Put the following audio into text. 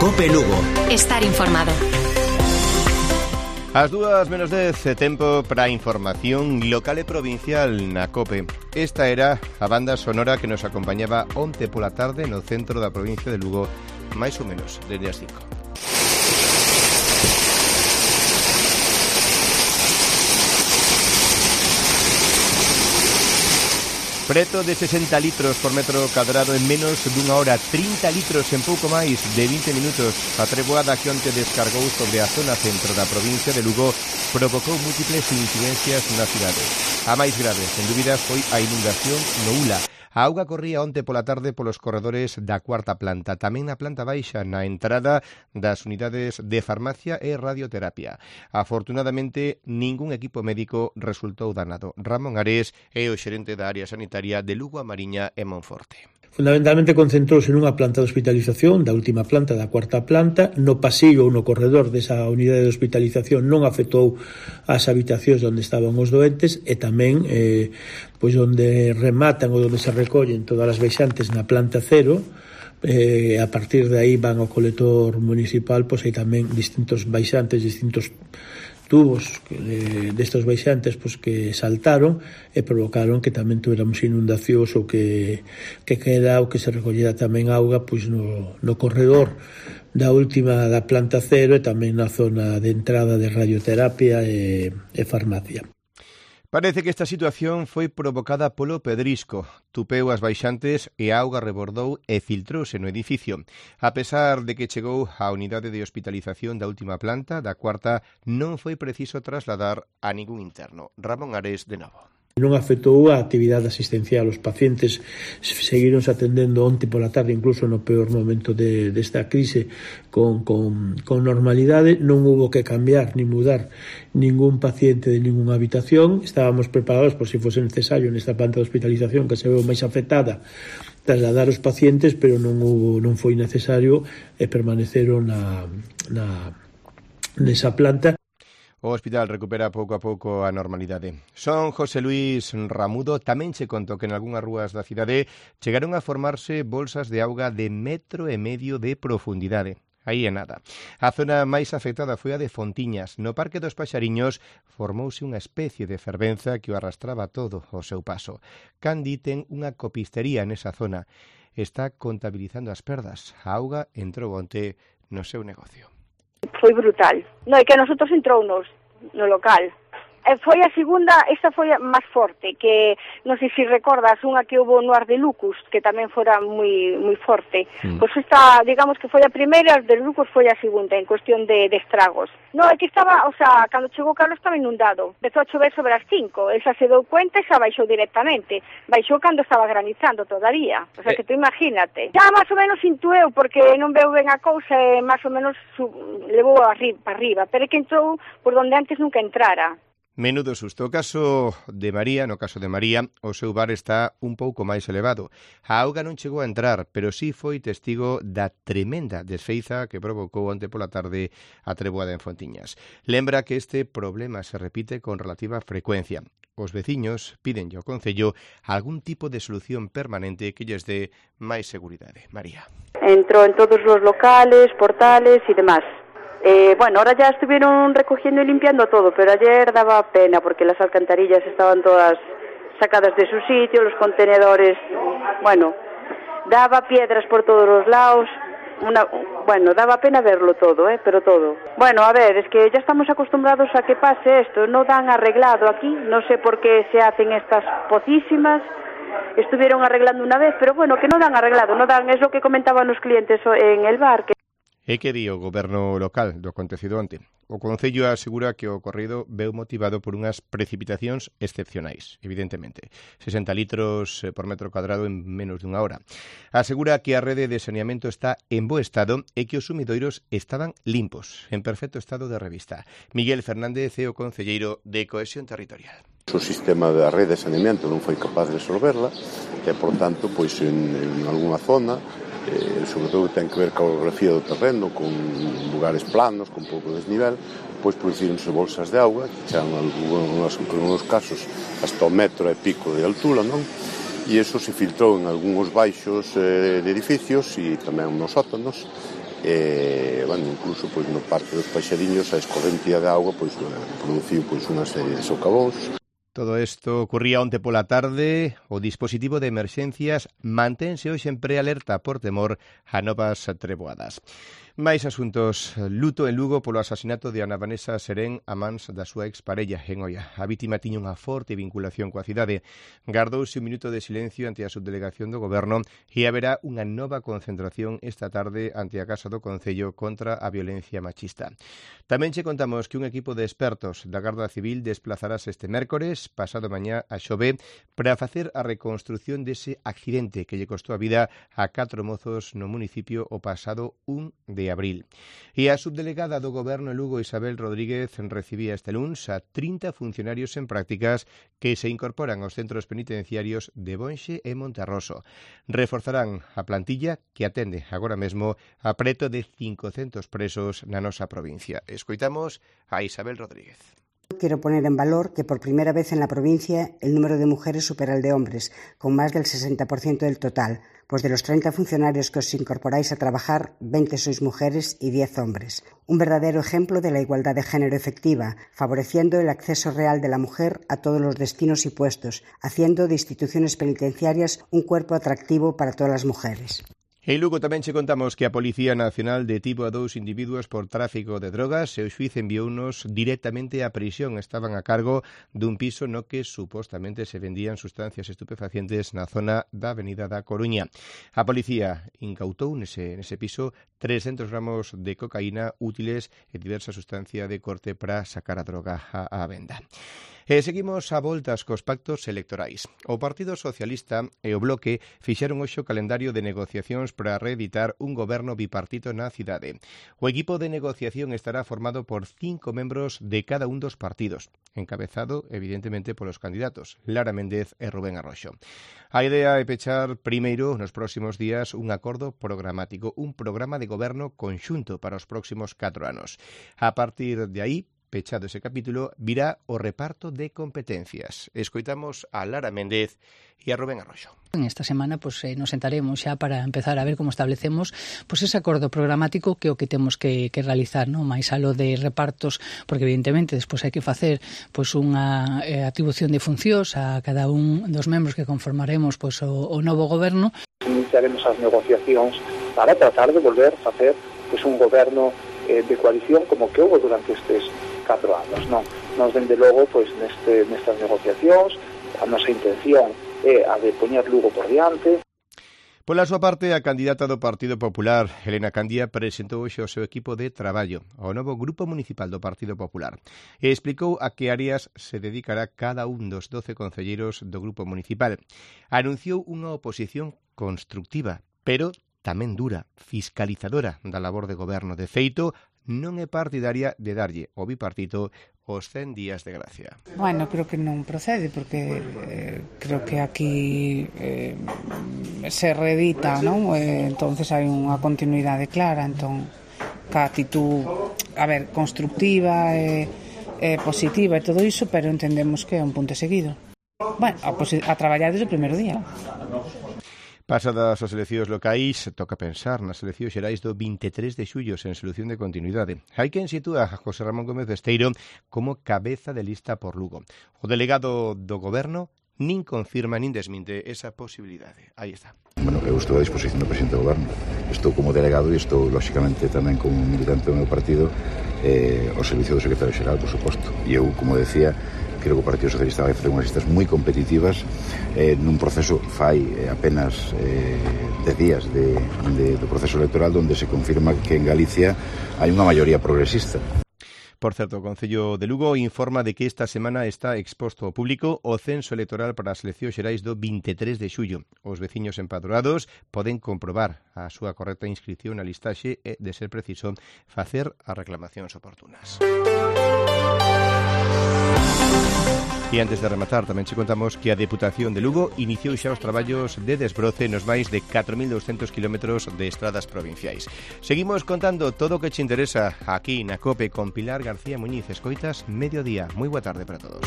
COPE Lugo. Estar informado. As 2:10, tempo para a información local e provincial na COPE. Esta era a banda sonora que nos acompañaba onte pola tarde no centro da provincia de Lugo, máis ou menos desde as 5. Preto de 60 litros por metro cadrado en menos dunha hora, 30 litros en pouco máis de 20 minutos. A treboada que onte descargou sobre a zona centro da provincia de Lugo provocou múltiples incidencias na cidade. A máis grave, sen dúbida, foi a inundación no Ula. A auga corría onte pola tarde polos corredores da cuarta planta, tamén na planta baixa, na entrada das unidades de farmacia e radioterapia. Afortunadamente, ningún equipo médico resultou danado. Ramón Ares é o xerente da área sanitaria de Lugo, A Mariña e Monforte. Fundamentalmente concentrouse nunha planta de hospitalización, da última planta, da cuarta planta. No pasillo ou no corredor desa unidade de hospitalización non afectou as habitacións onde estaban os doentes e tamén pois onde rematan ou onde se recollen todas as baixantes na planta cero. A partir de aí van ao colector municipal, pois hai tamén distintos baixantes, distintos tubos destos baixantes pois que saltaron e provocaron que tamén tuéramos inundacións ou que queda ou que se recollera tamén auga pois no corredor da última da planta cero e tamén na zona de entrada de radioterapia e farmacia. Parece que esta situación foi provocada polo pedrisco. Tupeu as baixantes e a auga rebordou e filtrouse no edificio. A pesar de que chegou á unidade de hospitalización da última planta, da cuarta, non foi preciso trasladar a ningún interno. Ramón Ares, de novo. Non afectou a actividade asistencial. Os pacientes seguironse atendendo onte pola tarde, incluso no peor momento desta crise, con normalidade. Non hubo que cambiar ni mudar ningún paciente de ninguna habitación. Estábamos preparados por se fose necesario nesta planta de hospitalización que se veu máis afectada trasladar os pacientes, pero non foi necesario e permaneceron nesa planta. O hospital recupera pouco a pouco a normalidade. Son José Luis Ramudo tamén che contou que en algunhas rúas da cidade chegaron a formarse bolsas de auga de 1,5 metro de profundidade. Aí é nada. A zona máis afectada foi a de Fontiñas. No Parque dos Paxariños formouse unha especie de fervenza que o arrastraba todo ao seu paso. Candi ten unha copistería nesa zona. Está contabilizando as perdas. A auga entrou onte no seu negocio. Foi brutal. Non, é que a nosotros entrounos no local. Foi a segunda, esta foi a máis forte, que non sei se recordas unha que houve no Arde Lucus, que tamén fora moi forte. Pois esta, digamos que foi a primeira, a de Lucus foi a segunda, en cuestión de estragos. Non, é que estaba, o sea, cando chegou Carlos estaba inundado. Empezou a chover sobre as 5, esa se deu cuenta e xa baixou directamente. Baixou cando estaba granizando todavía. O sea, que tú imagínate. Já máis ou menos intueu, porque non veu ben a cousa e máis ou menos levou para arriba, pero é que entrou por donde antes nunca entrara. Menudo susto. No caso de María, o seu bar está un pouco máis elevado. A auga non chegou a entrar, pero sí foi testigo da tremenda desfeiza que provocou onte pola tarde a treboada en Fontiñas. Lembra que este problema se repite con relativa frecuencia. Os veciños pídenlle ao Concello algún tipo de solución permanente que lles dé máis seguridade. María. Entró en todos os locales, portales e demás. Bueno, ahora ya estuvieron recogiendo y limpiando todo, pero ayer daba pena porque las alcantarillas estaban todas sacadas de su sitio, los contenedores, bueno, daba piedras por todos los lados, daba pena verlo todo, pero todo. Bueno, a ver, es que ya estamos acostumbrados a que pase esto, no dan arreglado aquí, no sé por qué se hacen estas pocísimas, estuvieron arreglando una vez, pero bueno, que no dan arreglado, es lo que comentaban los clientes en el bar, que E que di o goberno local do acontecido onte? O Concello asegura que o ocorrido veu motivado por unhas precipitacións excepcionais, evidentemente. 60 litros por metro cuadrado en menos dunha hora. Asegura que a rede de saneamento está en bo estado e que os sumidoiros estaban limpos, en perfecto estado de revista. Miguel Fernández é o concelleiro de Cohesión Territorial. O sistema da rede de saneamento non foi capaz de resolverla e, por tanto, pois en algunha zona, sobre todo ten que ver ca orografía do terreno, con lugares planos, con pouco desnivel, pois producíronse bolsas de auga que chegan en algunos casos hasta 1,5 metro de altura, non? E iso se filtrou en algúns baixos de edificios e tamén nos sótanos bueno, incluso pois, no Parque dos Paixariños a escorrentía de auga pois, produciu pois, unha serie de socavóns. Todo isto ocurría onte pola tarde. O dispositivo de emerxencias mantense hoxe en prealerta por temor a novas treboadas. Mais asuntos. Luto en Lugo polo asasinato de Ana Vanessa Serén a mans da súa exparella en Oia. A vítima tiña unha forte vinculación coa cidade. Gardouse un minuto de silencio ante a subdelegación do Goberno e haberá unha nova concentración esta tarde ante a Casa do Concello contra a violencia machista. Tamén che contamos que un equipo de expertos da Garda Civil desplazarase este mércores, pasado mañá a Xove, para facer a reconstrucción dese accidente que lle costou a vida a 4 mozos no municipio o pasado 1 de abril. E a subdelegada do Goberno en Lugo, Isabel Rodríguez, recibía este luns a 30 funcionarios en prácticas que se incorporan aos centros penitenciarios de Bonxe e Monterroso. Reforzarán a plantilla que atende agora mesmo a preto de 500 presos na nosa provincia. Escoitamos a Isabel Rodríguez. Quiero poner en valor que por primera vez en la provincia el número de mujeres supera el de hombres, con más del 60% del total, pues de los 30 funcionarios que os incorporáis a trabajar, 20 sois mujeres y 10 hombres. Un verdadero ejemplo de la igualdad de género efectiva, favoreciendo el acceso real de la mujer a todos los destinos y puestos, haciendo de instituciones penitenciarias un cuerpo atractivo para todas las mujeres. En Lugo tamén che contamos que a Policía Nacional detivo a 2 individuos por tráfico de drogas e o xuiz enviounos directamente á prisión. Estaban a cargo dun piso no que supostamente se vendían sustancias estupefacientes na zona da Avenida da Coruña. A policía incautou nese piso 300 gramos de cocaína útiles e diversa sustancia de corte para sacar a droga á venda. E seguimos a voltas cos pactos electorais. O Partido Socialista e o Bloque fixeron hoxe o calendario de negociacións para reeditar un goberno bipartito na cidade. O equipo de negociación estará formado por 5 membros de cada un dos partidos, encabezado, evidentemente, polos candidatos Lara Méndez e Rubén Arroxo. A idea é pechar primeiro, nos próximos días, un acordo programático, un programa de goberno conxunto para os próximos 4 anos. A partir de aí, pechado ese capítulo, virá o reparto de competencias. Escoitamos a Lara Méndez e a Rubén Arroxo. En esta semana nos sentaremos xa para empezar a ver como establecemos ese acordo programático que é o que temos que realizar, non? Mais aló de repartos, porque evidentemente despois hai que facer unha atribución de funcións a cada un dos membros que conformaremos o novo goberno. Iniciaremos as negociacións para tratar de volver a facer un goberno de coalición como que houve durante estes 4 anos, non? Nos, dende logo, nestas negociacións, a nosa intención é a de poñer Lugo por diante. Pola súa parte, a candidata do Partido Popular, Helena Candia, presentou hoxe o seu equipo de traballo ao novo Grupo Municipal do Partido Popular e explicou a que áreas se dedicará cada un dos 12 concelleiros do Grupo Municipal. Anunciou unha oposición constructiva, pero tamén dura, fiscalizadora da labor de goberno. De feito, non é partidaria de darlle ao bipartito os 100 días de gracia. Bueno, creo que non procede, porque creo que aquí se reedita, non? Entonces hai unha continuidade clara, entón, ca actitud, constructiva e positiva e todo iso, pero entendemos que é un punto seguido. Bueno, a traballar desde o primeiro día. Pasadas as eleccións locais, toca pensar nas eleccións xerais do 23 de xullo sen solución de continuidade. Hai quen sitúa a José Ramón Gómez Besteiro como cabeza de lista por Lugo. O delegado do Goberno nin confirma nin desminte esa posibilidade. Aí está. Bueno, eu estou a disposición do presidente do Goberno. Estou como delegado e estou, lóxicamente, tamén como militante do meu partido ao servicio do secretario xeral, por suposto. E eu, como decía, creo que o Partido Socialista vai facer unhas listas moi competitivas nun proceso fai apenas 10 días do proceso electoral onde se confirma que en Galicia hai unha maioría progresista. Por certo, o Concello de Lugo informa de que esta semana está exposto ao público o censo electoral para as eleccións xerais do 23 de xullo. Os veciños empadroados poden comprobar a súa correcta inscripción na listaxe e, de ser preciso, facer as reclamacións oportunas. E antes de rematar, tamén che contamos que a Deputación de Lugo iniciou xa os traballos de desbroce nos máis de 4.200 kilómetros de estradas provinciais. Seguimos contando todo o que che interesa aquí na COPE con Pilar García Muñiz. Escoitas Mediodía. Moi boa tarde para todos.